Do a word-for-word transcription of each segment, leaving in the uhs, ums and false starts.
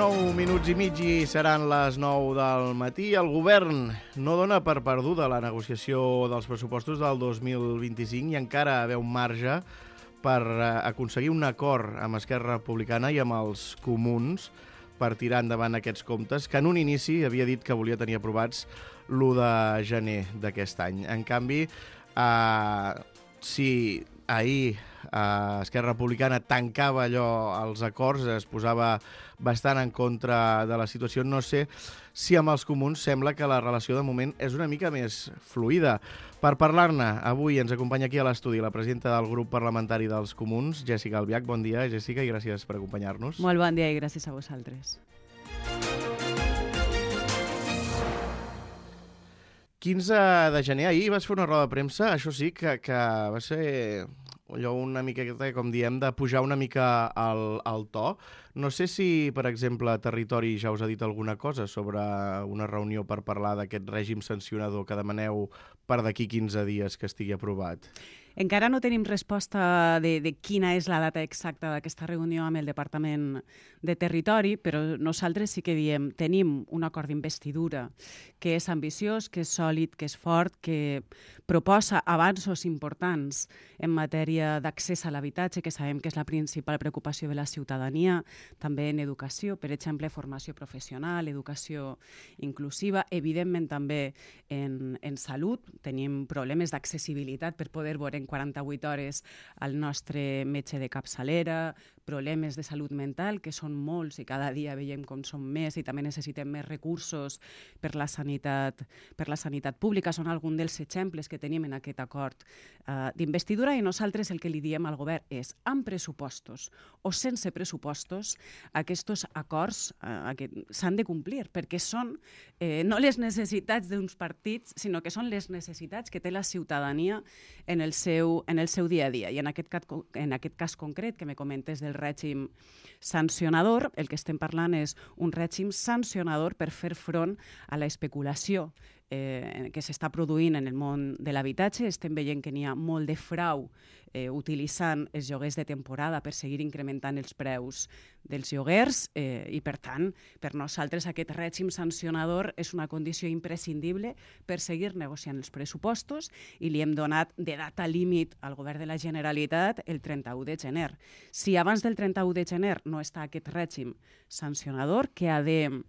Nou minuts i mig i seran les nou del matí. El govern no dona per perduda la negociació dels pressupostos del dos mil vint-i-cinc i encara veu marge per aconseguir un acord amb Esquerra Republicana i amb els comuns per tirar endavant aquests comptes, que en un inici havia dit que volia tenir aprovats l'u de gener d'aquest any. En canvi, eh, si ahir eh, Esquerra Republicana tancava allò als acords, es posava bastant en contra de la situació, no sé si amb els comuns sembla que la relació de moment és una mica més fluida. Per parlar-ne, avui ens acompanya aquí a l'estudi la presidenta del grup parlamentari dels comuns, Jèssica Albiach. Bon dia, Jèssica, i gràcies per acompanyar-nos. Molt bon dia i gràcies a vosaltres. quinze de gener, ahir vas fer una roda de premsa, això sí, que, que va ser allò una miqueta, com diem, de pujar una mica al, al to. No sé si, per exemple, Territori ja us ha dit alguna cosa sobre una reunió per parlar d'aquest règim sancionador que demaneu per d'aquí quinze dies que estigui aprovat. Encara no tenim resposta de, de quina és la data exacta d'aquesta reunió amb el Departament de Territori, però nosaltres sí que diem, tenim un acord d'investidura que és ambiciós, que és sòlid, que és fort, que proposa avanços importants en matèria d'accés a l'habitatge, que sabem que és la principal preocupació de la ciutadania, també en educació, per exemple, formació professional, educació inclusiva, evidentment també en, en salut. Tenim problemes d'accessibilitat per poder veure en quaranta-vuit hores al nostre metge de capçalera, problemes de salut mental, que són molts i cada dia veiem com són més i també necessitem més recursos per la sanitat, per la sanitat pública. Són alguns dels exemples que tenim en aquest acord uh, d'investidura i nosaltres el que li diem al govern és amb pressupostos o sense pressupostos aquests acords uh, s'han de complir perquè són eh, no les necessitats d'uns partits, sinó que són les necessitats que té la ciutadania en el seu, en el seu dia a dia. I en aquest, en aquest cas concret que me comentes del règim sancionador, el que estem parlant és un règim sancionador per fer front a l'especulació eh, que s'està produint en el món de l'habitatge. Estem veient que n'hi ha molt de frau eh, utilitzant els lloguers de temporada per seguir incrementant els preus dels lloguers eh, i, per tant, per nosaltres aquest règim sancionador és una condició imprescindible per seguir negociant els pressupostos i li hem donat de data límit al govern de la Generalitat el trenta-u de gener. Si abans del trenta-u de gener no està aquest règim sancionador que ha de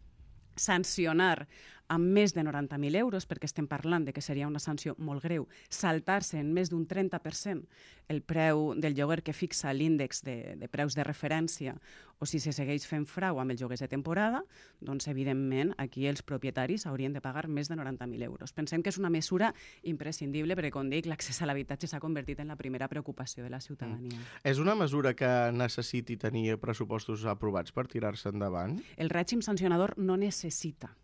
sancionar amb més de noranta mil euros, perquè estem parlant de que seria una sanció molt greu, saltar-se en més d'un trenta per cent el preu del lloguer que fixa l'índex de, de preus de referència, o si se segueix fent frau amb els lloguers de temporada, doncs evidentment aquí els propietaris haurien de pagar més de noranta mil euros. Pensem que és una mesura imprescindible perquè, com dic, l'accés a l'habitatge s'ha convertit en la primera preocupació de la ciutadania. Mm. És una mesura que necessiti tenir pressupostos aprovats per tirar-se endavant? El règim sancionador no necessita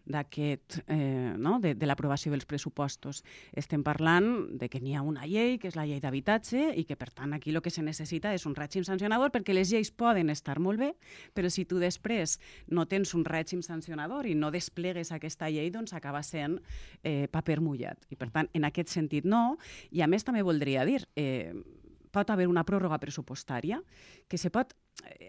d'aquest, eh, no? de, de l'aprovació dels pressupostos. Estem parlant de que n'hi ha una llei, que és la llei d'habitatge, i que, per tant, aquí el que se necessita és un règim sancionador, perquè les lleis poden estar molt bé, però si tu després no tens un règim sancionador i no desplegues aquesta llei, doncs acaba sent eh, paper mullat. I, per tant, en aquest sentit no. I, a més, també voldria dir, eh, pot haver una pròrroga pressupostària que se pot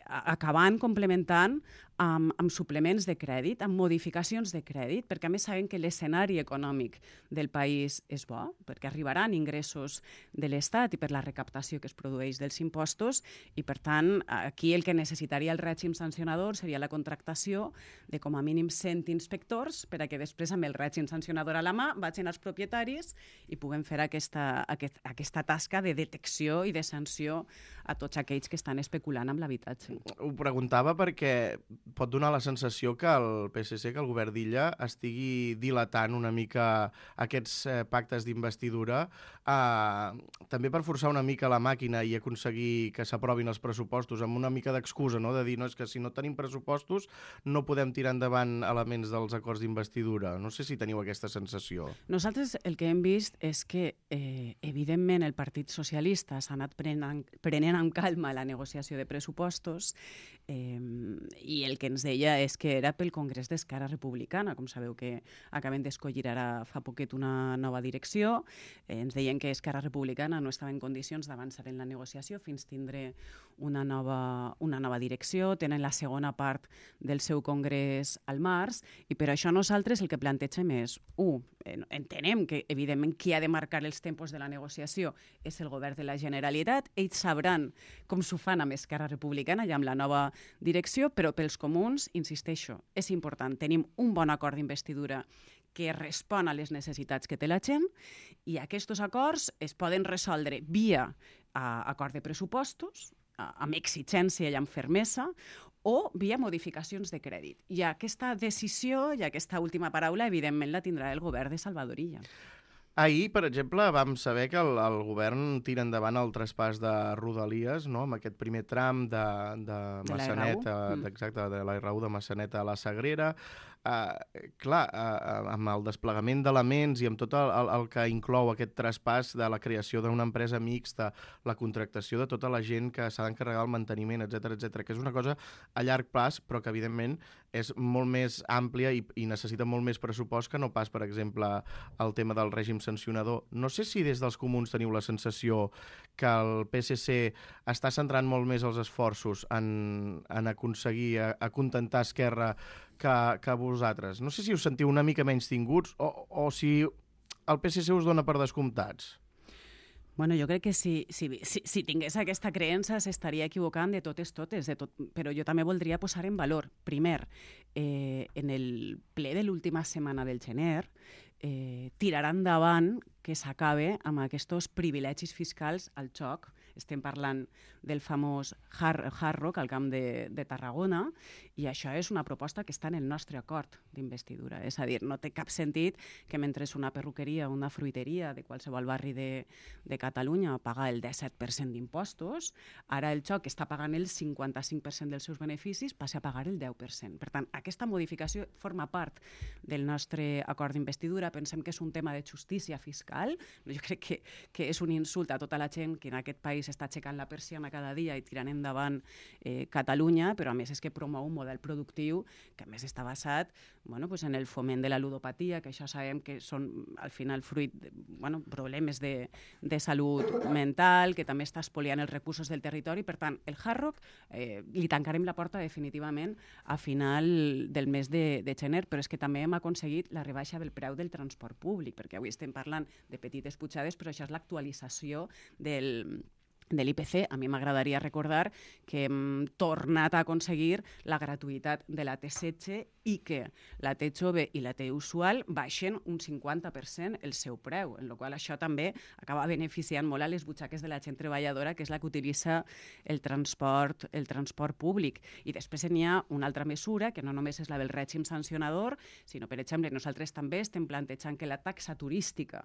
acabant complementant amb, amb suplements de crèdit, amb modificacions de crèdit, perquè a més sabem que l'escenari econòmic del país és bo, perquè arribaran ingressos de l'Estat i per la recaptació que es produeix dels impostos i, per tant, aquí el que necessitaria el règim sancionador seria la contractació de com a mínim cent inspectors per a que després amb el règim sancionador a la mà vagin als propietaris i puguem fer aquesta, aquest, aquesta tasca de detecció i de sanció a tots aquells que estan especulant amb l'habitatge. Ho preguntava perquè pot donar la sensació que el P S C, que el govern d'Illa, estigui dilatant una mica aquests eh, pactes d'investidura, eh, també per forçar una mica la màquina i aconseguir que s'aprovin els pressupostos amb una mica d'excusa, no? De dir, no, és que si no tenim pressupostos no podem tirar endavant elements dels acords d'investidura. No sé si teniu aquesta sensació. Nosaltres el que hem vist és que eh, evidentment el Partit Socialista s'ha anat prenent, prenent amb calma la negociació de pressupostos eh, i el que ens deia és que era pel Congrés d'Esquerra Republicana. Com sabeu que acaben d'escollir ara fa poquet una nova direcció. Eh, ens deien que Esquerra Republicana no estava en condicions d'avançar en la negociació fins tindre una nova, una nova direcció. Tenen la segona part del seu congrés al març i per això nosaltres el que plantegem és, u, entenem que evidentment qui ha de marcar els tempos de la negociació és el govern de la Generalitat. Ells sabran com s'ho fan amb Esquerra Republicana i amb la nova direcció, però pels comuns, insisteixo, és important. Tenim un bon acord d'investidura que respon a les necessitats que té la gent i aquests acords es poden resoldre via uh, acord de pressupostos, uh, amb exigència i amb fermesa, o via modificacions de crèdit. I aquesta decisió i aquesta última paraula, evidentment, la tindrà el govern de Salvador Illa. Ahir, per exemple, vam saber que el, el govern tira endavant el traspàs de Rodalies, no?, amb aquest primer tram de, de, de Massanet, mm. exacte, de la R u de Massanet a la Sagrera. Uh, clar, uh, amb el desplegament d'elements i amb tot el, el, el que inclou aquest traspàs de la creació d'una empresa mixta, la contractació de tota la gent que s'ha d'encarregar el manteniment, etcètera, etcètera, que és una cosa a llarg plaç, però que evidentment és molt més àmplia i, i necessita molt més pressupost que no pas, per exemple, el tema del règim sancionador. No sé si des dels comuns teniu la sensació que el P S C està centrant molt més els esforços en, en aconseguir, a, a contentar Esquerra que, que vosaltres. No sé si us sentiu una mica menys tinguts o, o si el P S C us dona per descomptats. Bueno, jo crec que si, si, si, si tingués aquesta creença s'estaria equivocant de totes totes, de tot, però jo també voldria posar en valor. Primer, eh, en el ple de l'última setmana del gener, eh, tirarà endavant que s'acabe amb aquests privilegis fiscals al xoc. Estem parlant del famós Hard, Hard Rock al Camp de, de Tarragona i això és una proposta que està en el nostre acord d'investidura. És a dir, no té cap sentit que mentre una perruqueria o una fruiteria de qualsevol barri de, de Catalunya paga el disset per cent d'impostos, ara el xoc està pagant el cinquanta-cinc per cent dels seus beneficis, passi a pagar el deu per cent. Per tant, aquesta modificació forma part del nostre acord d'investidura. Pensem que és un tema de justícia fiscal. Jo crec que, que és un insult a tota la gent que en aquest país s'està aixecant la persiana cada dia i tirant endavant eh, Catalunya, però a més és que promou un model productiu que a més està basat bueno, pues en el foment de la ludopatia, que això sabem que són al final fruit de bueno, problemes de, de salut mental, que també està espoliant els recursos del territori. Per tant, el Hard Rock eh, li tancarem la porta definitivament a final del mes de, de gener, però és que també hem aconseguit la rebaixa del preu del transport públic, perquè avui estem parlant de petites pujades, però això és l'actualització del de l'I P C. A mi m'agradaria recordar que hem tornat a aconseguir la gratuïtat de la T setze i que la T jove i la T usual baixen un cinquanta per cent el seu preu, en la qual això també acaba beneficiant molt a les butxaques de la gent treballadora, que és la que utilitza el transport, el transport públic. I després n'hi ha una altra mesura, que no només és la del règim sancionador, sinó, per exemple, nosaltres també estem plantejant que la taxa turística,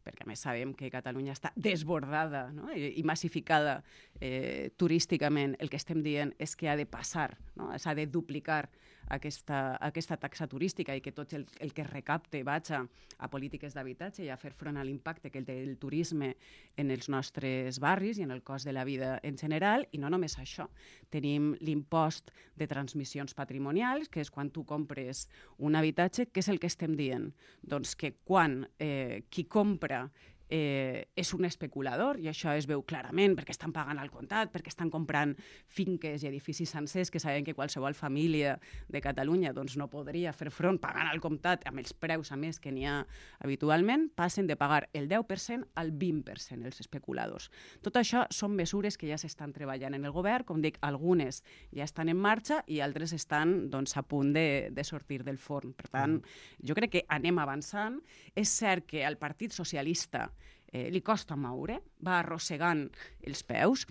perquè a més sabem que Catalunya està desbordada, no? I, i massificada eh, turísticament, el que estem dient és que ha de passar, no? S'ha de duplicar aquesta, aquesta taxa turística i que tot el, el que es recapte vagi a polítiques d'habitatge i a fer front a l'impacte que té el turisme en els nostres barris i en el cost de la vida en general. I no només això, tenim l'impost de transmissions patrimonials, que és quan tu compres un habitatge. Què és el que estem dient? Doncs que quan eh, qui compra Eh, és un especulador, i això es veu clarament perquè estan pagant al comptat, perquè estan comprant finques i edificis sencers que saben que qualsevol família de Catalunya doncs, no podria fer front pagant al comptat amb els preus a més que n'hi ha habitualment, passen de pagar el deu per cent al vint per cent els especuladors. Tot això són mesures que ja s'estan treballant en el govern, com dic, algunes ja estan en marxa i altres estan doncs, a punt de, de sortir del forn. Per tant, jo crec que anem avançant. És cert que al Partit Socialista Eh, li costa moure, va arrossegant els peus,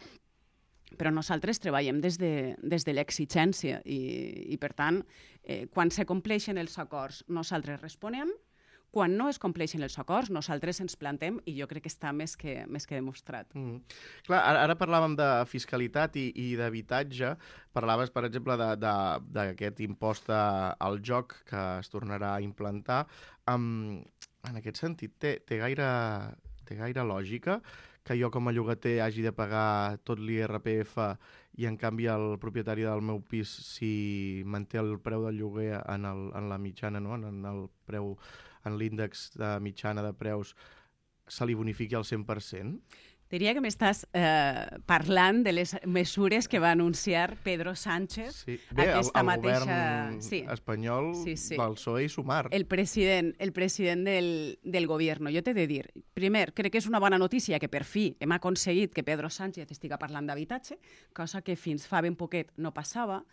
però nosaltres treballem des de, des de l'exigència i, i, per tant, eh, quan se compleixen els acords, nosaltres responem. Quan no es compleixen els acords, nosaltres ens plantem i jo crec que està més que, més que demostrat. Mm. Clar, ara, ara parlàvem de fiscalitat i, i d'habitatge. Parlaves, per exemple, d'aquest impost al joc que es tornarà a implantar. Um, en aquest sentit, té, té gaire... té gaire lògica que jo com a llogater hagi de pagar tot l'I R P F i en canvi el propietari del meu pis, si manté el preu del lloguer en, el, en la mitjana, no? en el preu, en l'índex de mitjana de preus, se li bonifiqui al cent per cent? Diria que m'estàs eh, parlant de les mesures que va anunciar Pedro Sánchez. Sí. Bé, aquesta el, el mateixa... govern sí. espanyol sí, sí. del P S O E i Sumar. El president, el president del, del govern. Jo t'he de dir, primer, crec que és una bona notícia que per fi hem aconseguit que Pedro Sánchez estiga parlant d'habitatge, cosa que fins fa ben poquet no passava,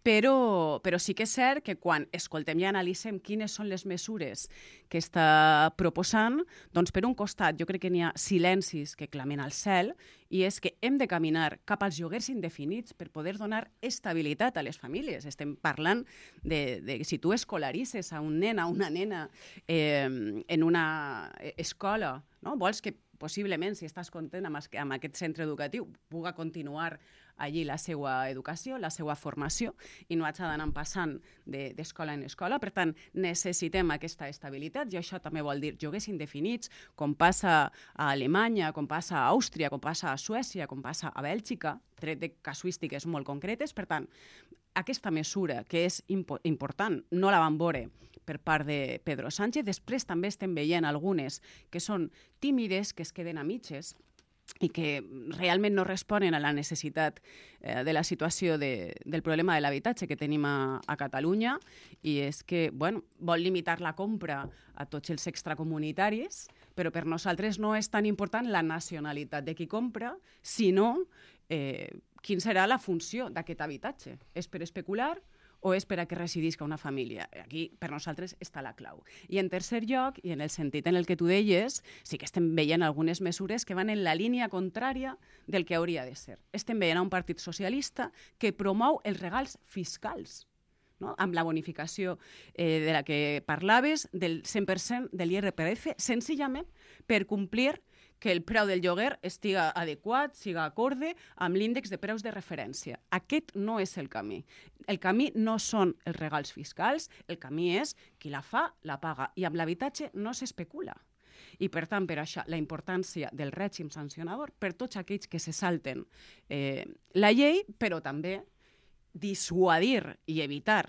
però, però sí que és cert que quan escoltem i analitzem quines són les mesures que està proposant, doncs per un costat jo crec que n'hi ha silencis que clamen al cel, i és que hem de caminar cap als lloguers indefinits per poder donar estabilitat a les famílies. Estem parlant de, de si tu escolaritzes a un nen, a una nena eh, en una escola, no? Vols que possiblement, si estàs content amb, amb aquest centre educatiu, puga continuar allí la seva educació, la seva formació, i no hagi d'anar passant d'escola en escola. Per tant, necessitem aquesta estabilitat, i això també vol dir lloguers indefinits, com passa a Alemanya, com passa a Àustria, com passa a Suècia, com passa a Bèlgica, tret de casuístiques molt concretes. Per tant, aquesta mesura, que és impo important, no la vam veure per part de Pedro Sánchez. Després també estem veient algunes que són tímides, que es queden a mitges, i que realment no responen a la necessitat eh, de la situació de, del problema de l'habitatge que tenim a, a Catalunya, i és que bueno, vol limitar la compra a tots els extracomunitaris, però per nosaltres no és tan important la nacionalitat de qui compra, sinó eh, quin serà la funció d'aquest habitatge. És per especular o és per a que residisca una família? Aquí, per nosaltres, està la clau. I en tercer lloc, i en el sentit en el que tu deies, sí que estem veient algunes mesures que van en la línia contrària del que hauria de ser. Estem veient un partit socialista que promou els regals fiscals, no? Amb la bonificació eh, de la que parlaves, del cent per cent de l'I R P F, senzillament per complir que el preu del lloguer estiga adequat, siga acorde amb l'índex de preus de referència. Aquest no és el camí. El camí no són els regals fiscals, el camí és qui la fa, la paga. I amb l'habitatge no s'especula. I, per tant, per això, la importància del règim sancionador per tots aquells que se salten eh, la llei, però també dissuadir i evitar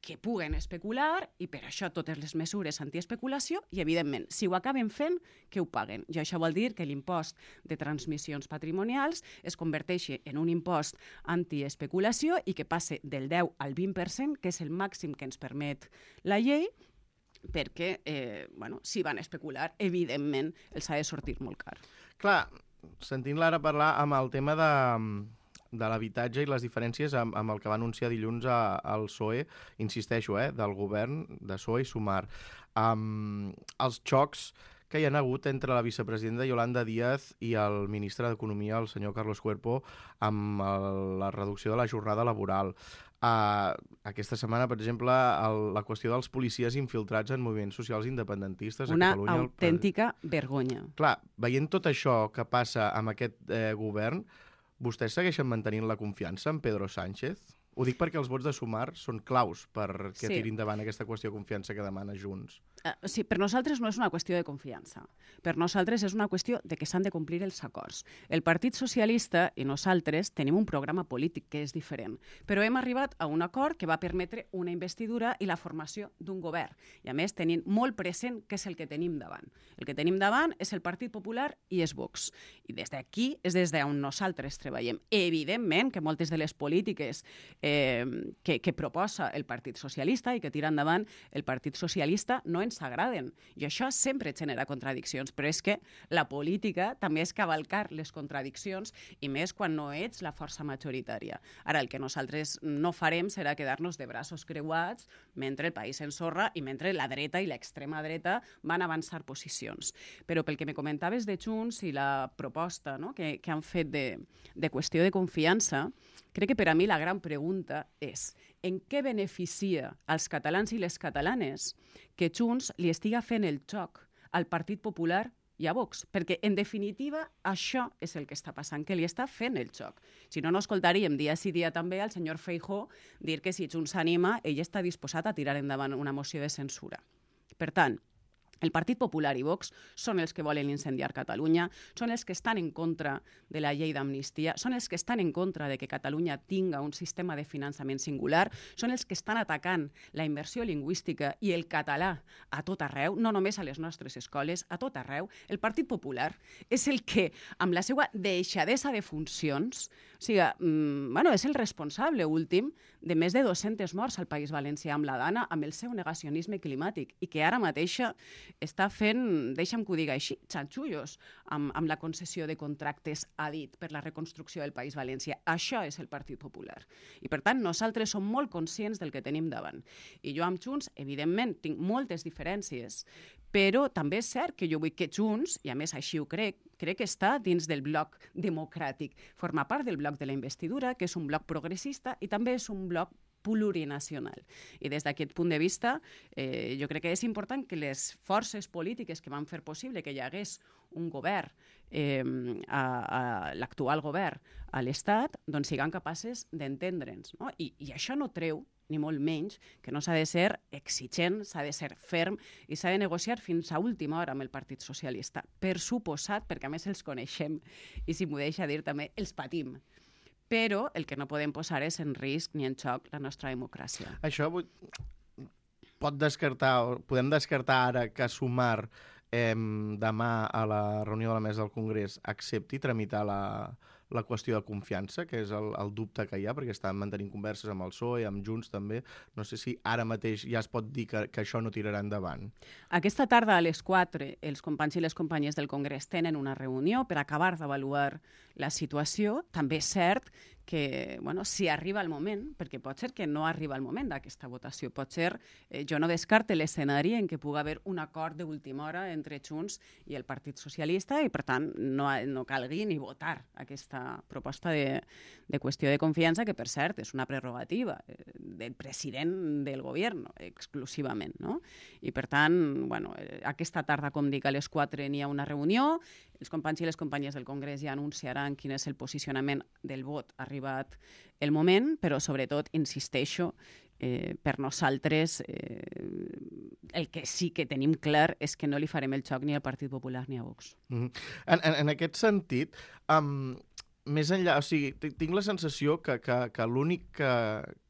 que puguen especular, i per això totes les mesures antiespeculació, i evidentment, si ho acaben fent, que ho paguen. I això vol dir que l'impost de transmissions patrimonials es converteixi en un impost antiespeculació i que passe del deu al vint per cent, que és el màxim que ens permet la llei, perquè, eh, bueno, si van especular, evidentment, els ha de sortir molt car. Clar, sentint l'ara parlar amb el tema de... de l'habitatge i les diferències amb, amb el que va anunciar dilluns a, al P S O E, insisteixo, eh, del govern de P S O E i Sumar. Um, els xocs que hi ha hagut entre la vicepresidenta Yolanda Díaz i el ministre d'Economia, el senyor Carlos Cuerpo, amb el, la reducció de la jornada laboral. Uh, aquesta setmana, per exemple, el, la qüestió dels policies infiltrats en moviments socials independentistes Una a Catalunya. Una autèntica el... vergonya. Clar, veient tot això que passa amb aquest eh, govern, vostès segueixen mantenint la confiança en Pedro Sánchez? Ho dic perquè els vots de Sumar són claus perquè sí. tirin endavant aquesta qüestió de confiança que demana Junts. Uh, sí, per nosaltres no és una qüestió de confiança. Per nosaltres és una qüestió de que s'han de complir els acords. El Partit Socialista i nosaltres tenim un programa polític que és diferent, però hem arribat a un acord que va permetre una investidura i la formació d'un govern. I a més tenim molt present què és el que tenim davant. El que tenim davant és el Partit Popular i és Vox. I des d'aquí és des d'on nosaltres treballem. Evidentment que moltes de les polítiques eh, que, que proposa el Partit Socialista i que tira endavant el Partit Socialista no ens agraden. I això sempre genera contradiccions, però és que la política també és cavalcar les contradiccions, i més quan no ets la força majoritària. Ara, el que nosaltres no farem serà quedar-nos de braços creuats mentre el país s'ensorra i mentre la dreta i l'extrema dreta van avançar posicions. Però pel que me comentaves de Junts i la proposta, no?, que, que han fet de, de qüestió de confiança, crec que per a mi la gran pregunta és en què beneficia als catalans i les catalanes que Junts li estiga fent el xoc al Partit Popular i a Vox, perquè, en definitiva, això és el que està passant, que li està fent el xoc. Si no, no escoltaríem dia sí dia també al senyor Feijóo dir que si Junts s'anima, ell està disposat a tirar endavant una moció de censura. Per tant, El Partit Popular i Vox són els que volen incendiar Catalunya, són els que estan en contra de la llei d'amnistia, són els que estan en contra de que Catalunya tinga un sistema de finançament singular, són els que estan atacant la immersió lingüística i el català a tot arreu, no només a les nostres escoles, a tot arreu. El Partit Popular és el que, amb la seva deixadesa de funcions, o sigui, mmm, bueno, és el responsable últim de més de dues-centes morts al País Valencià amb la Dana, amb el seu negacionisme climàtic, i que ara mateixa està fent, deixa'm que ho diga així, xanxullos amb, amb la concessió de contractes, ha dit, per la reconstrucció del País Valencià. Això és el Partit Popular. I, per tant, nosaltres som molt conscients del que tenim davant. I jo amb Junts, evidentment, tinc moltes diferències, però també és cert que jo vull que Junts, i a més així ho crec, crec que està dins del bloc democràtic. Forma part del bloc de la investidura, que és un bloc progressista, i també és un bloc plurinacional. I des d'aquest punt de vista, eh, jo crec que és important que les forces polítiques que van fer possible que hi hagués un govern, eh, a, a l'actual govern a l'Estat, doncs siguin capaces d'entendre'ns. No? I, I això no treu ni molt menys, que no s'ha de ser exigent, s'ha de ser ferm i s'ha de negociar fins a última hora amb el Partit Socialista. Per suposat, perquè a més els coneixem i, si m'ho deixa dir, també els patim. Però el que no podem posar és en risc ni en xoc la nostra democràcia. Això pot descartar, podem descartar ara que Sumar eh, demà a la reunió de la mesa del Congrés accepti tramitar la, la qüestió de confiança, que és el, el dubte que hi ha, perquè estan mantenint converses amb el P S O E, amb Junts també. No sé si ara mateix ja es pot dir que, que això no tirarà endavant. Aquesta tarda a les quatre els companys i les companyes del Congrés tenen una reunió per acabar d'avaluar la situació. També és cert que, bueno, si arriba el moment, perquè pot ser que no arriba el moment d'aquesta votació, pot ser, eh, jo no descarte l'escenari en què pugui haver un acord d'última hora entre Junts i el Partit Socialista i, per tant, no, no calgui ni votar aquesta proposta de, de qüestió de confiança, que, per cert, és una prerrogativa del president del govern, exclusivament, no? I, per tant, bueno, aquesta tarda, com dic, a les quatre n'hi ha una reunió, els companys i les companyes del Congrés ja anunciaran quin és el posicionament del vot arribat el moment, però sobretot, insisteixo, eh, per nosaltres eh, el que sí que tenim clar és que no li farem el xoc ni al Partit Popular ni a Vox. Mm-hmm. en, en, en aquest sentit, um, més enllà, o sigui, tinc la sensació que, que, que l'únic que,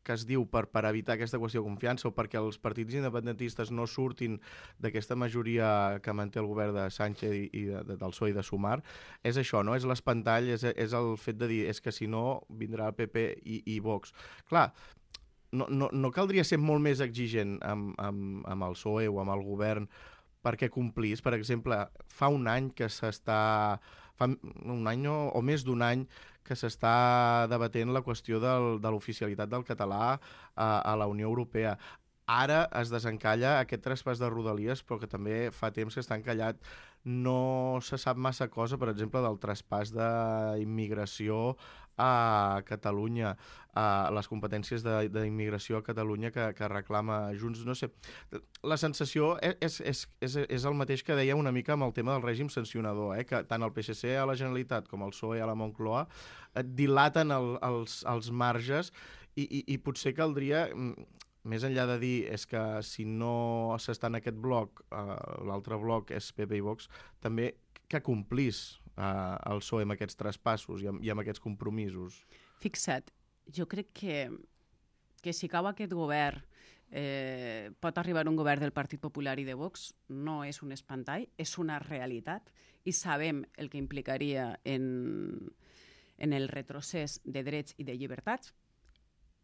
que es diu per, per evitar aquesta qüestió de confiança o perquè els partits independentistes no surtin d'aquesta majoria que manté el govern de Sánchez i, i de, de, del P S O E i de Sumar, és això, no? És l'espantall, és, és el fet de dir és que si no vindrà el P P i, i Vox. Clar, no, no, no caldria ser molt més exigent amb, amb, amb el P S O E o amb el govern perquè complís. Per exemple, fa un any que s'està... fa un any o, o més d'un any que s'està debatent la qüestió del, de l'oficialitat del català a, a la Unió Europea. Ara es desencalla aquest traspàs de Rodalies, però que també fa temps que està encallat. No se sap massa cosa, per exemple, del traspàs d'immigració a Catalunya, a les competències d'immigració a Catalunya que, que reclama Junts. No sé, la sensació és, és, és, és el mateix que deia una mica amb el tema del règim sancionador, eh? Que tant el P S C a la Generalitat com el P S O E a la Moncloa dilaten el, els, els marges i, i, i potser caldria... Més enllà de dir és que si no s'està en aquest bloc, eh, l'altre bloc és P P i Vox, també que complís eh, el P S O E amb aquests traspassos i amb, i amb aquests compromisos. Fixa't, jo crec que, que si cau aquest govern eh, pot arribar un govern del Partit Popular i de Vox, no és un espantall, és una realitat i sabem el que implicaria en, en el retrocés de drets i de llibertats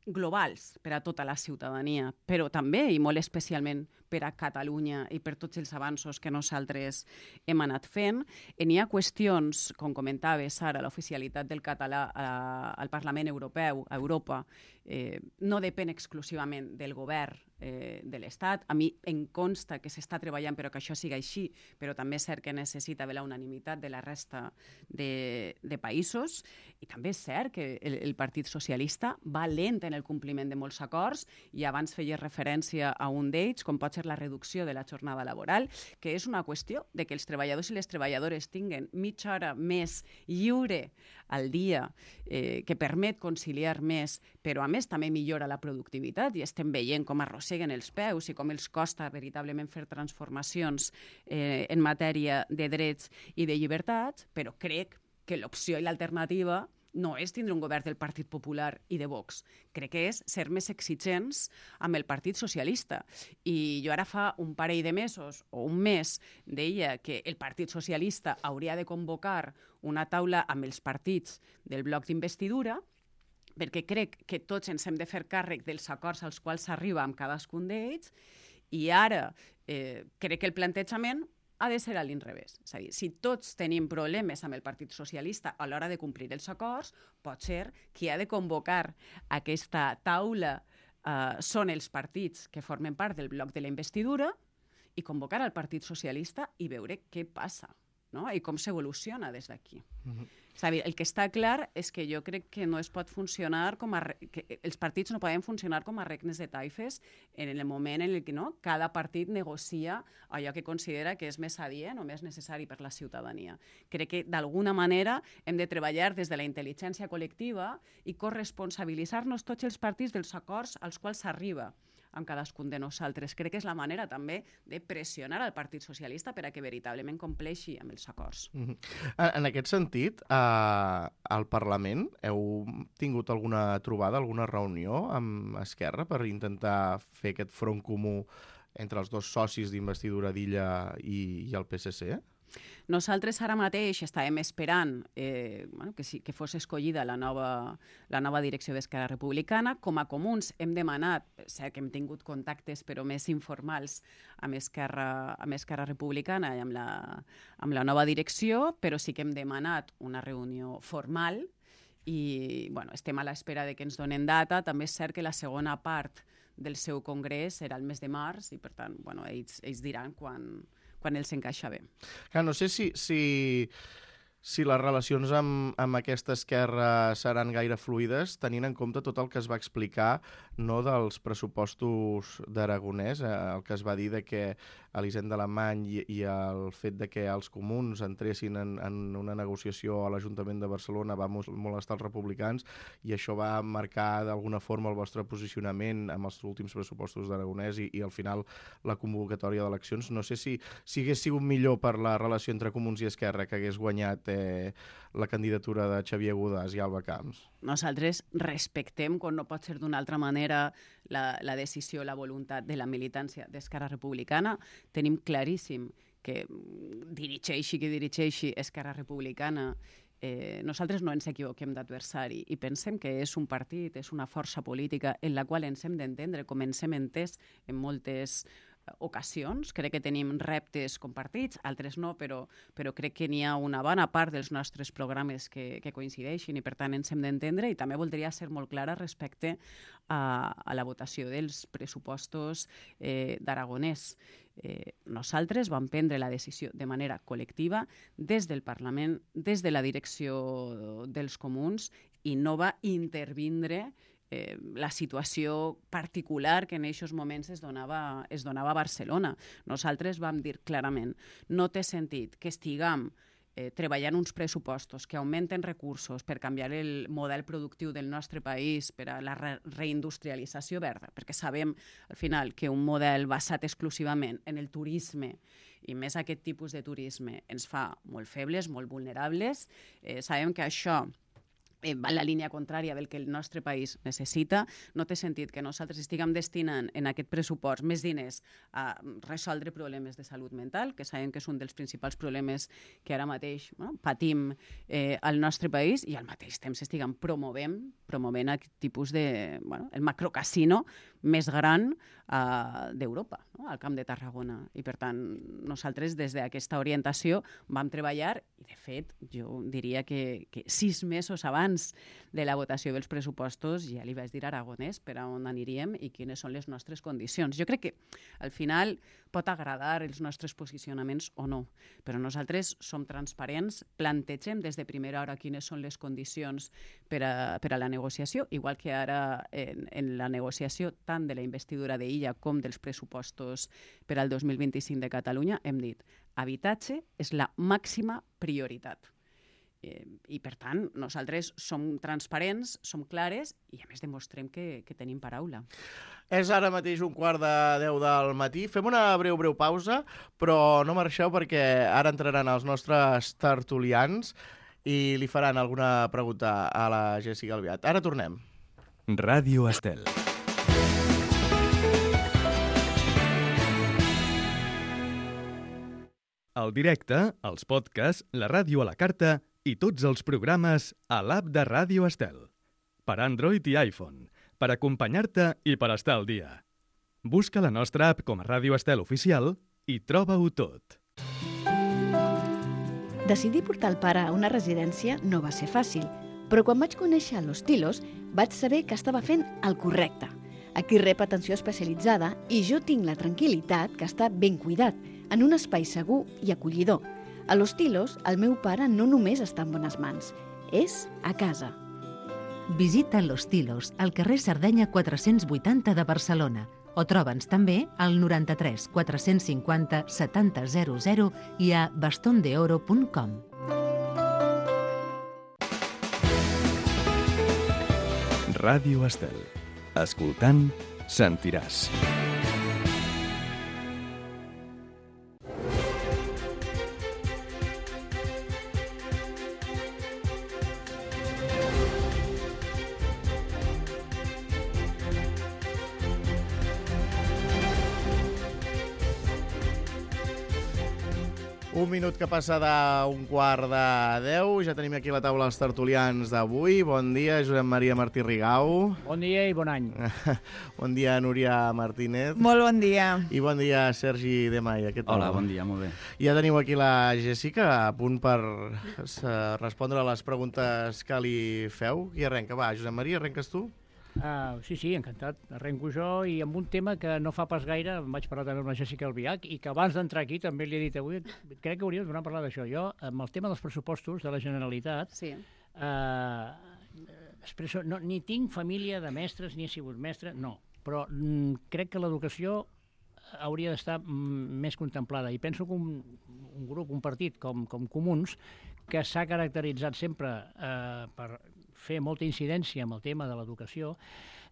globals per a tota la ciutadania, però també i molt especialment per a Catalunya i per tots els avanços que nosaltres hem anat fent. N'hi ha qüestions, com comentaves ara, l'oficialitat del català a, al Parlament Europeu, a Europa, eh, no depèn exclusivament del govern eh, de l'Estat. A mi em consta que s'està treballant però que això siga així, però també és cert que necessita haver la unanimitat de la resta de, de països, i també és cert que el, el Partit Socialista va lent en el compliment de molts acords, i abans feia referència a un d'ells, com pot ser la reducció de la jornada laboral, que és una qüestió de que els treballadors i les treballadores tinguen mitja hora més lliure al dia, eh, que permet conciliar més, però a més també millora la productivitat, i estem veient com a mosseguen els peus i com els costa veritablement fer transformacions eh, en matèria de drets i de llibertats, però crec que l'opció i l'alternativa no és tindre un govern del Partit Popular i de Vox. Crec que és ser més exigents amb el Partit Socialista. I jo ara fa un parell de mesos o un mes deia que el Partit Socialista hauria de convocar una taula amb els partits del bloc d'investidura, perquè crec que tots ens hem de fer càrrec dels acords als quals s'arriba amb cadascun d'ells, i ara eh, crec que el plantejament ha de ser a l'inrevés. És a dir, si tots tenim problemes amb el Partit Socialista a l'hora de complir els acords, pot ser qui ha de convocar aquesta taula eh, són els partits que formen part del bloc de la investidura i convocar al Partit Socialista i veure què passa, no? I com s'evoluciona des d'aquí. Mm-hmm. És a dir, el que està clar és que jo crec que no es pot funcionar com a... que els partits no poden funcionar com a regnes de taifes en el moment en el que no, cada partit negocia allò que considera que és més adient o més necessari per la ciutadania. Crec que d'alguna manera hem de treballar des de la intel·ligència col·lectiva i corresponsabilitzar-nos tots els partits dels acords als quals s'arriba amb cadascun de nosaltres. Crec que és la manera també de pressionar al Partit Socialista per a que veritablement compleixi amb els acords. Mm-hmm. En aquest sentit, eh, al Parlament heu tingut alguna trobada, alguna reunió amb Esquerra per intentar fer aquest front comú entre els dos socis d'investidura d'Illa i, i el P S C? Nosaltres ara mateix estàvem esperant eh, bueno, que, sí, que fos escollida la nova, la nova direcció d'Esquerra Republicana. Com a comuns hem demanat, sé que hem tingut contactes però més informals amb Esquerra, amb Esquerra Republicana i amb la, amb la nova direcció, però sí que hem demanat una reunió formal i bueno, estem a l'espera de que ens donen data. També és cert que la segona part del seu congrés serà el mes de març i per tant bueno, ells, ells diran quan... quan els encaixa bé. Clar, no sé si, si, si les relacions amb, amb aquesta esquerra seran gaire fluides, tenint en compte tot el que es va explicar no dels pressupostos d'Aragonès, eh, el que es va dir de que Elisenda Alemany i, i el fet de que els comuns entressin en, en una negociació a l'Ajuntament de Barcelona va molestar els republicans i això va marcar d'alguna forma el vostre posicionament amb els últims pressupostos d'Aragonès i, i al final la convocatòria d'eleccions. No sé si, si hagués sigut millor per la relació entre Comuns i Esquerra que hagués guanyat eh, la candidatura de Xavier Godàs i Alba Camps. Nosaltres respectem, com no pot ser d'una altra manera, la, la decisió, la voluntat de la militància d'Esquerra Republicana. Tenim claríssim que dirigeixi qui dirigeixi Esquerra Republicana, eh, nosaltres no ens equivoquem d'adversari i pensem que és un partit, és una força política en la qual ens hem d'entendre com ens hem entès en moltes ocasions. Crec que tenim reptes compartits, altres no, però, però crec que n'hi ha una bona part dels nostres programes que, que coincideixin i per tant ens hem d'entendre i també voldria ser molt clara respecte a, a la votació dels pressupostos eh, d'Aragonès. Eh, nosaltres vam prendre la decisió de manera col·lectiva des del Parlament, des de la direcció dels comuns i no va intervindre Eh, la situació particular que en aquests moments es donava, es donava a Barcelona. Nosaltres vam dir clarament, no té sentit que estiguem eh, treballant uns pressupostos que augmenten recursos per canviar el model productiu del nostre país, per a la re reindustrialització verda, perquè sabem al final que un model basat exclusivament en el turisme i més aquest tipus de turisme ens fa molt febles, molt vulnerables. Eh, sabem que això Eh, va en la línia contrària del que el nostre país necessita. No té sentit que nosaltres estiguem destinant en aquest pressupost més diners a resoldre problemes de salut mental, que sabem que és un dels principals problemes que ara mateix bueno, patim eh, al nostre país i al mateix temps estiguem promovent, promovent aquest tipus de... Bueno, el macrocasino més gran uh, d'Europa, no? Al Camp de Tarragona. I per tant, nosaltres des d'aquesta orientació vam treballar i de fet jo diria que, que sis mesos abans de la votació dels pressupostos ja li vaig dir a Aragonès per a on aniríem i quines són les nostres condicions. Jo crec que al final pot agradar els nostres posicionaments o no, però nosaltres som transparents, plantegem des de primera hora quines són les condicions per a, per a la negociació, igual que ara en, en la negociació tant de la investidura d'Illa com dels pressupostos per al dos mil vint-i-cinc de Catalunya hem dit habitatge és la màxima prioritat. Eh, I, per tant, nosaltres som transparents, som clares i, a més, demostrem que, que tenim paraula. És ara mateix un quart de deu del matí. Fem una breu, breu pausa, però no marxeu perquè ara entraran els nostres tertulians i li faran alguna pregunta a la Jessica Albiach. Ara tornem. Ràdio Estel. El directe, els podcasts, la ràdio a la carta i tots els programes a l'app de Ràdio Estel. Per Android i iPhone, per acompanyar-te i per estar al dia. Busca la nostra app com a Ràdio Estel Oficial i troba-ho tot. Decidir portar el pare a una residència no va ser fàcil, però quan vaig conèixer Los Tilos vaig saber que estava fent el correcte. Aquí rep atenció especialitzada i jo tinc la tranquil·litat que està ben cuidat, en un espai segur i acollidor. A Los Tilos, el meu pare no només està en bones mans, és a casa. Visita Los Tilos, al carrer Sardenya quatre-cents vuitanta de Barcelona, o troba'ns també al noranta-tres quatre-cents cinquanta setanta zero zero i a bastondeoro punt com. Ràdio Estel. Escoltant, sentiràs. Un minut que passa d'un quart de deu. Ja tenim aquí a la taula els tertulians d'avui. Bon dia, Josep Maria Martí Rigau. Bon dia i bon any. Bon dia, Núria Martínez. Molt bon dia. I bon dia, Sergi de Maia. Què tal? Hola, bon dia, molt bé. Ja teniu aquí la Jessica, a punt per respondre a les preguntes que li feu. Qui arrenca? Va, Josep Maria, arrenques tu? Uh, sí, sí, encantat. Arrenco jo i amb un tema que no fa pas gaire em vaig parlar també amb la Jessica Albiach i que abans d'entrar aquí també li he dit avui, crec que hauríem de tornar a parlar d'això. Jo, amb el tema dels pressupostos de la Generalitat, Sí. uh, expresso, no, ni tinc família de mestres ni he sigut mestre, no, però mm, crec que l'educació hauria d'estar mm, més contemplada i penso que un, un grup, un partit com, com Comuns, que s'ha caracteritzat sempre eh, per fer molta incidència amb el tema de l'educació,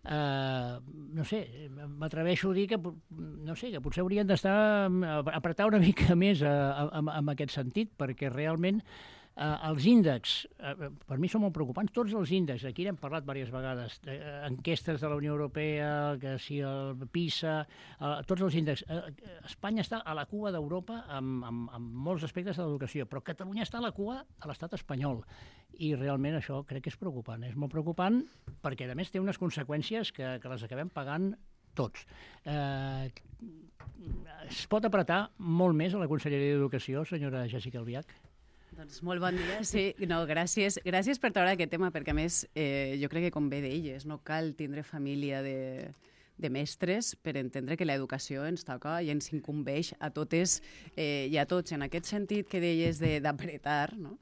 eh, no sé, m'atreveixo a dir que, no sé, que potser haurien d'estar apretar una mica més en aquest sentit, perquè realment eh, els índexs, eh, per mi són molt preocupants, tots els índexs, aquí n'hem parlat diverses vegades, eh, enquestes de la Unió Europea, que si el PISA, eh, tots els índexs. Eh, Espanya està a la cua d'Europa amb, amb, amb molts aspectes de l'educació, però Catalunya està a la cua a l'estat espanyol. I realment això crec que és preocupant. És molt preocupant perquè, a més, té unes conseqüències que, que les acabem pagant tots. Eh, es pot apretar molt més a la Conselleria d'Educació, senyora Jessica Albiach? Doncs molt bon dia, sí. No, gràcies, gràcies per treure aquest tema, perquè a més eh, jo crec que com bé d'elles, no cal tindre família de, de mestres per entendre que l'educació ens toca i ens incumbeix a totes eh, i a tots. En aquest sentit que deies d'apretar, no?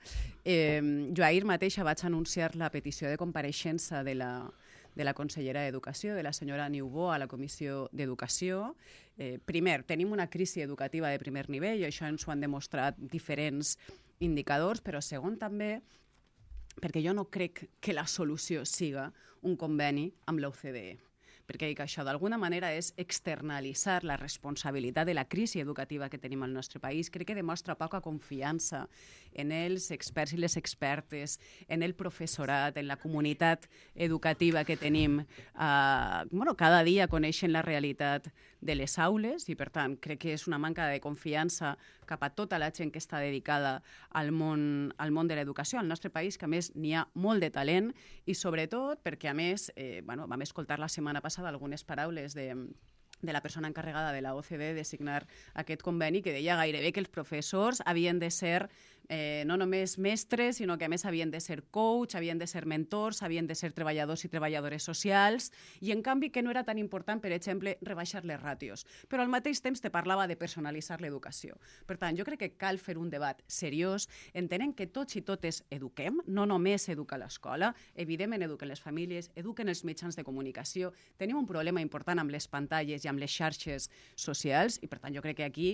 eh, jo ahir mateixa vaig anunciar la petició de compareixença de la, de la consellera d'Educació, de la senyora Niubó, a la Comissió d'Educació. Eh, primer, tenim una crisi educativa de primer nivell, i això ens ho han demostrat diferents indicadors, però segon també perquè jo no crec que la solució siga un conveni amb l'O C D E, perquè això d'alguna manera és externalitzar la responsabilitat de la crisi educativa que tenim al nostre país. Crec que demostra poca confiança en els experts i les expertes, en el professorat, en la comunitat educativa que tenim. Uh, bueno, cada dia coneixen la realitat de les aules i, per tant, crec que és una manca de confiança cap a tota la gent que està dedicada al món, al món de l'educació al nostre país, que a més n'hi ha molt de talent i sobretot perquè a més eh, bueno, vam escoltar la setmana passada algunes paraules de, de la persona encarregada de la O C D de signar aquest conveni, que deia gairebé que els professors havien de ser eh, no només mestres, sinó que a més havien de ser coach, havien de ser mentors, havien de ser treballadors i treballadores socials, i en canvi que no era tan important, per exemple, rebaixar les ràtios. Però al mateix temps te parlava de personalitzar l'educació. Per tant, jo crec que cal fer un debat seriós, entenent que tots i totes eduquem, no només educa l'escola, evidentment eduquen les famílies, eduquen els mitjans de comunicació, tenim un problema important amb les pantalles i amb les xarxes socials, i per tant jo crec que aquí,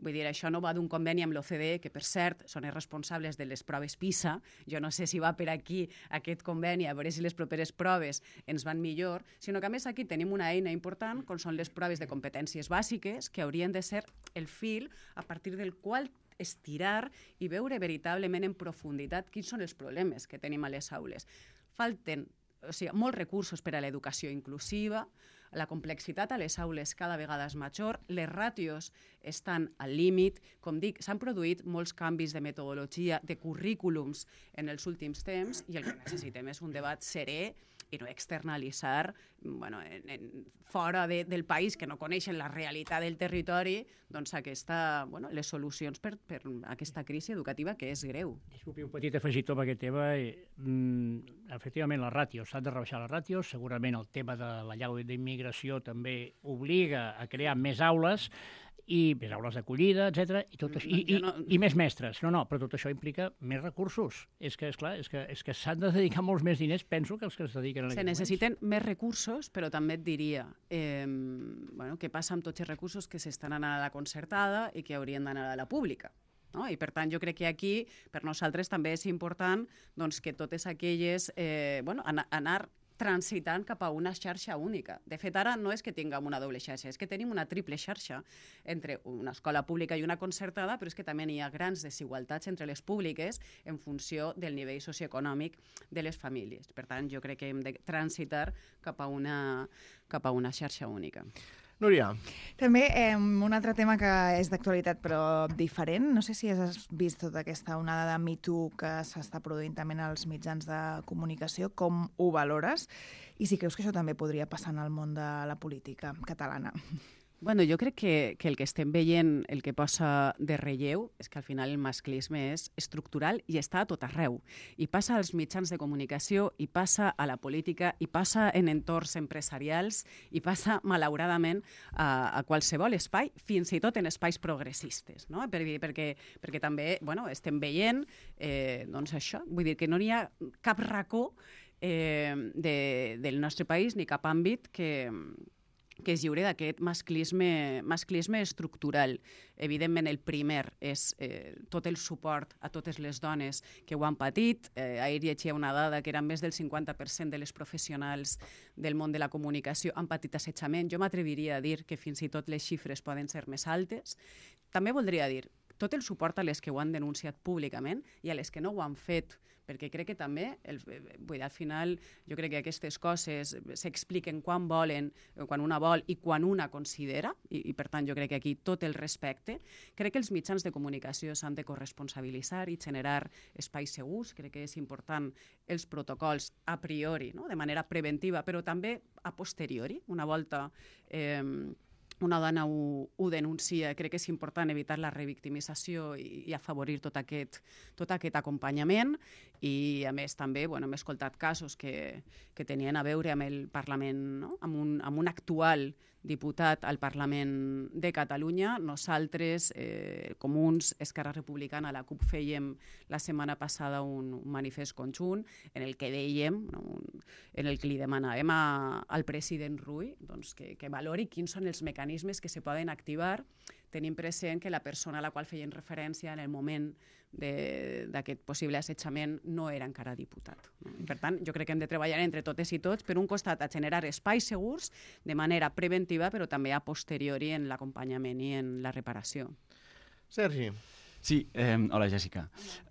vull dir, això no va d'un conveni amb l'O C D E, que per cert són persones responsables de les proves PISA. Jo no sé si va per aquí aquest conveni, a veure si les properes proves ens van millor, sinó que a més aquí tenim una eina important, com són les proves de competències bàsiques, que haurien de ser el fil a partir del qual estirar i veure veritablement en profunditat quins són els problemes que tenim a les aules. Falten, o sigui, molts recursos per a l'educació inclusiva, la complexitat a les aules cada vegada és major, les ràtios estan al límit, com dic, s'han produït molts canvis de metodologia, de currículums en els últims temps, i el que necessitem és un debat serè i no externalitzar bueno, en, en, fora de, del país, que no coneixen la realitat del territori, doncs aquesta, bueno, les solucions per, per aquesta crisi educativa que és greu. Disculpi, un petit afegitó per aquest tema. Mm, efectivament, les ràtios, s'han de rebaixar les ràtios. Segurament el tema de la llei d'immigració també obliga a crear més aules, i més aules d'acollida, etcètera, i, tot això, i, i, no... i més mestres. No, no, però tot això implica més recursos. És que, esclar, és que, és que s'han de dedicar molts més diners, penso, que els que es dediquen en Se necessiten moments. Més recursos, però també et diria eh, bueno, què passa amb tots els recursos que s'estan anant a la concertada i que haurien d'anar a la pública. No? I per tant jo crec que aquí per nosaltres també és important doncs, que totes aquelles eh, bueno, an anar transitant cap a una xarxa única. De fet, ara no és que tinguem una doble xarxa, és que tenim una triple xarxa entre una escola pública i una concertada, però és que també hi ha grans desigualtats entre les públiques en funció del nivell socioeconòmic de les famílies. Per tant, jo crec que hem de transitar cap a una, cap a una xarxa única. Núria. També eh, un altre tema que és d'actualitat però diferent. No sé si has vist tota aquesta onada de Me Too que s'està produint també en els mitjans de comunicació. Com ho valores? I si creus que això també podria passar en el món de la política catalana. Bueno, jo crec que, que el que estem veient, el que posa de relleu, és que al final el masclisme és estructural i està a tot arreu. I passa als mitjans de comunicació, i passa a la política, i passa en entorns empresarials, i passa, malauradament, a, a qualsevol espai, fins i tot en espais progressistes. No? Perquè, perquè, perquè també bueno, estem veient eh, doncs això, vull dir que no hi ha cap racó eh, de, del nostre país ni cap àmbit que... que és lliure d'aquest masclisme, masclisme estructural. Evidentment, el primer és eh, tot el suport a totes les dones que ho han patit. Eh, ahir llegia una dada que era més del cinquanta per cent de les professionals del món de la comunicació han patit assetjament. Jo m'atreviria a dir que fins i tot les xifres poden ser més altes. També voldria dir tot el suport a les que ho han denunciat públicament i a les que no ho han fet, perquè crec que també, el, vull dir, al final, jo crec que aquestes coses s'expliquen quan volen, quan una vol i quan una considera, i, i per tant jo crec que aquí tot el respecte. Crec que els mitjans de comunicació s'han de corresponsabilitzar i generar espais segurs. Crec que és important els protocols a priori, no? De manera preventiva, però també a posteriori, una volta... Eh, una dona ho, ho denuncia, crec que és important evitar la revictimització i, i afavorir tot aquest, tot aquest acompanyament. I, a més, també bueno, hem escoltat casos que, que tenien a veure amb el Parlament, no? amb, un, amb un actual diputat al Parlament de Catalunya. Nosaltres, eh, Comuns, Esquerra Republicana, la CUP, fèiem la setmana passada un, un manifest conjunt en el que dèiem, no, un, en el que li demanàvem a, al president Rull doncs, que, que valori quins són els mecanismes que se poden activar, tenint present que la persona a la qual feien referència en el moment d'aquest possible assetjament no era encara diputat. No? Per tant, jo crec que hem de treballar entre totes i tots, per un costat, a generar espais segurs de manera preventiva, però també a posteriori en l'acompanyament i en la reparació. Sergi. Sí, eh, hola Jèssica.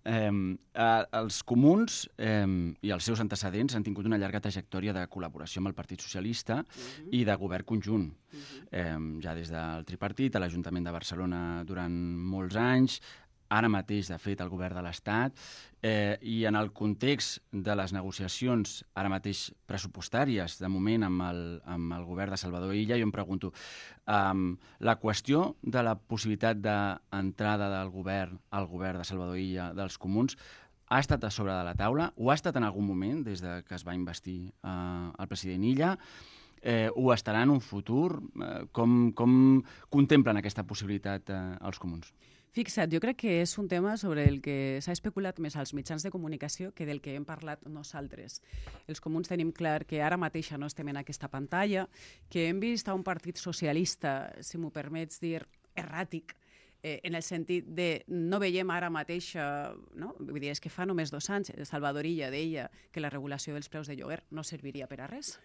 Eh, eh, els comuns eh, i els seus antecedents han tingut una llarga trajectòria de col·laboració amb el Partit Socialista uh-huh. i de govern conjunt. Uh-huh. eh, ja des del tripartit, a l'Ajuntament de Barcelona durant molts anys, ara mateix, de fet, el govern de l'Estat, eh, i en el context de les negociacions, ara mateix pressupostàries, de moment, amb el, amb el govern de Salvador Illa, jo em pregunto, um, la qüestió de la possibilitat d'entrada del govern al govern de Salvador Illa dels comuns ha estat a sobre de la taula? Ho ha estat en algun moment, des de que es va investir uh, el president Illa? Eh, ho estarà en un futur? Eh, com, com contemplen aquesta possibilitat eh, els comuns? Fixa't, jo crec que és un tema sobre el que s'ha especulat més als mitjans de comunicació que del que hem parlat nosaltres. Els comuns tenim clar que ara mateixa no estem en aquesta pantalla, que hem vist a un partit socialista, si m'ho permets dir, erràtic, eh, en el sentit de no veiem ara mateix, eh, no? Vull dir, és que fa només dos anys Salvador Illa deia que la regulació dels preus de lloguer no serviria per a res.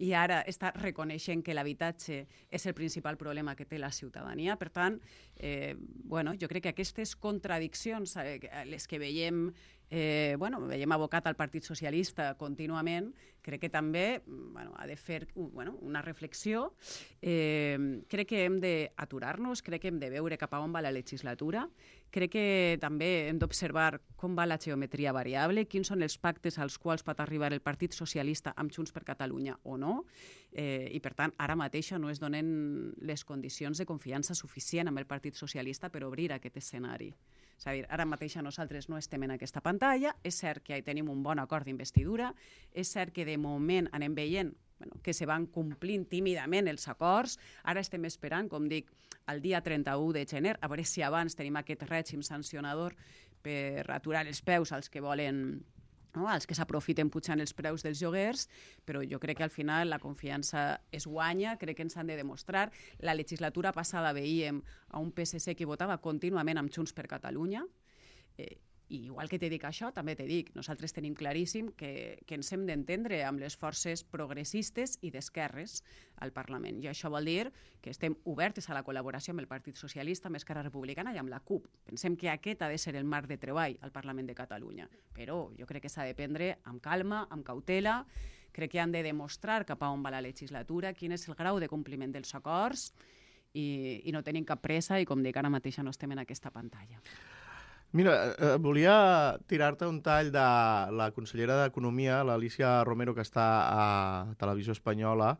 I ara està reconeixent que l'habitatge és el principal problema que té la ciutadania. Per tant, eh, bueno, jo crec que aquestes contradiccions, eh, les que veiem, eh, bueno, veiem abocat al Partit Socialista contínuament, crec que també bueno, ha de fer bueno, una reflexió. Eh, crec que hem d'aturar-nos, crec que hem de veure cap a on va la legislatura. Crec que també hem d'observar com va la geometria variable, quins són els pactes als quals pot arribar el Partit Socialista amb Junts per Catalunya o no, eh, i per tant ara mateix no es donen les condicions de confiança suficient amb el Partit Socialista per obrir aquest escenari. És a dir, ara mateix nosaltres no estem en aquesta pantalla, és cert que tenim un bon acord d'investidura, és cert que de moment anem veient bueno, que se van complint tímidament els acords. Ara estem esperant, com dic, el dia trenta-u de gener, a veure si abans tenim aquest règim sancionador per aturar els peus als que volen, no? als que s'aprofiten pujant els preus dels lloguers, però jo crec que al final la confiança es guanya, crec que ens han de demostrar. La legislatura passada veiem a un P S C que votava contínuament amb Junts per Catalunya, eh, i igual que te dic això, també te dic, nosaltres tenim claríssim que, que ens hem d'entendre amb les forces progressistes i d'esquerres al Parlament. I això vol dir que estem obertes a la col·laboració amb el Partit Socialista, amb Esquerra Republicana i amb la CUP. Pensem que aquest ha de ser el marc de treball al Parlament de Catalunya. Però jo crec que s'ha de prendre amb calma, amb cautela. Crec que han de demostrar cap a on va la legislatura, quin és el grau de compliment dels acords i, i no tenim cap pressa i, com dic, ara mateix no estem en aquesta pantalla. Mira, eh, volia tirar-te un tall de la consellera d'Economia, l'Alícia Romero, que està a Televisió Espanyola,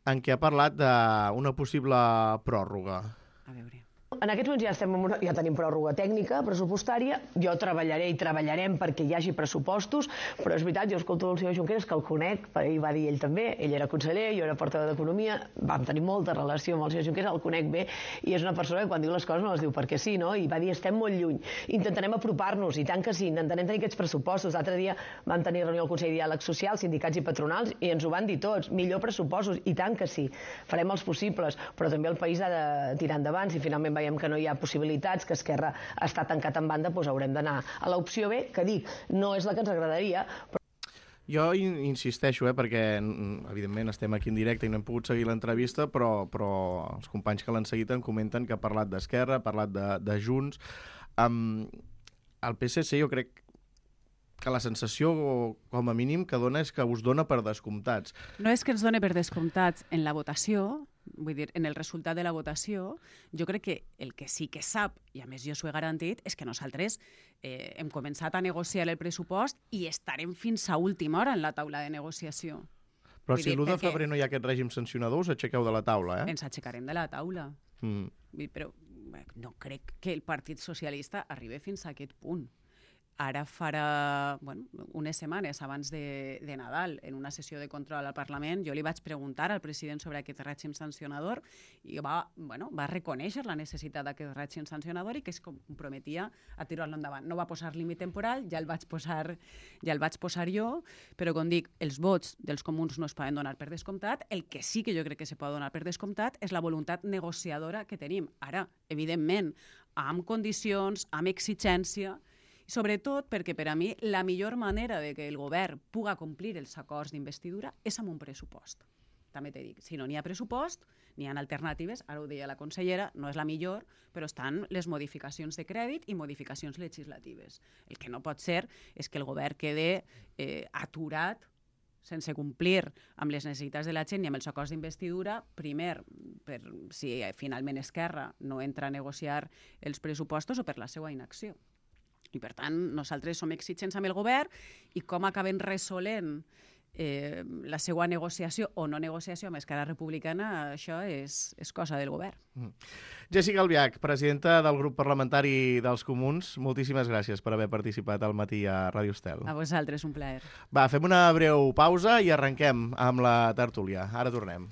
en què ha parlat d'una possible pròrroga. A veure. En aquests moments ja, estem en una, ja tenim pròrroga tècnica, pressupostària. Jo treballaré i treballarem perquè hi hagi pressupostos, però és veritat, jo escolto el senyor Junqueras, que el conec, i va dir ell també, ell era conseller, jo era portaveu d'Economia, vam tenir molta relació amb el senyor Junqueras, el conec bé, i és una persona que quan diu les coses no les diu perquè sí, no? I va dir, estem molt lluny, intentarem apropar-nos, i tant que sí, intentarem tenir aquests pressupostos. L'altre dia vam tenir reunió al Consell de Diàleg Social, sindicats i patronals, i ens ho van dir tots, millor pressupostos, i tant que sí, farem els possibles, però també el país ha de tirar endavant. Si finalment veiem que no hi ha possibilitats, que Esquerra està tancat en banda, doncs haurem d'anar a l'opció B, que dic, no és la que ens agradaria, però... Jo insisteixo, eh, perquè evidentment estem aquí en directe i no hem pogut seguir l'entrevista, però, però els companys que l'han seguit en comenten que ha parlat d'Esquerra, ha parlat de, de Junts. Um, el P S C jo crec que la sensació, com a mínim, que dona és que us dona per descomptats. No és que ens doni per descomptats en la votació, vull dir, en el resultat de la votació, jo crec que el que sí que sap, i a més jo s'ho he garantit, és que nosaltres eh, hem començat a negociar el pressupost i estarem fins a última hora en la taula de negociació. Però vull si l'u de febrer no hi ha aquest règim sancionador, us aixequeu de la taula, eh? Ens aixecarem de la taula. Mm. Però no crec que el Partit Socialista arribi fins a aquest punt. Ara farà bueno, unes setmanes abans de, de Nadal, en una sessió de control al Parlament, jo li vaig preguntar al president sobre aquest règim sancionador i va, bueno, va reconèixer la necessitat d'aquest règim sancionador i que es comprometia a tirar-lo endavant. No va posar límit temporal, ja el vaig posar, ja el vaig posar jo, però com dic, els vots dels comuns no es poden donar per descomptat. El que sí que jo crec que se pot donar per descomptat és la voluntat negociadora que tenim. Ara, evidentment, amb condicions, amb exigència, sobretot perquè per a mi la millor manera de que el govern puga complir els acords d'investidura és amb un pressupost. També t'he dit, si no n'hi ha pressupost, n'hi ha alternatives, ara ho deia la consellera, no és la millor, però estan les modificacions de crèdit i modificacions legislatives. El que no pot ser és que el govern quede eh, aturat sense complir amb les necessitats de la gent i amb els acords d'investidura, primer, per si finalment Esquerra no entra a negociar els pressupostos o per la seva inacció. I, per tant, nosaltres som exigents amb el govern i com acabem resolent eh, la seva negociació o no negociació amb Esquerra Republicana, això és, és cosa del govern. Mm. Jessica Albiach, presidenta del grup parlamentari dels Comuns, moltíssimes gràcies per haver participat al matí a Ràdio Estel. A vosaltres, un plaer. Va, fem una breu pausa i arrenquem amb la tertúlia. Ara tornem.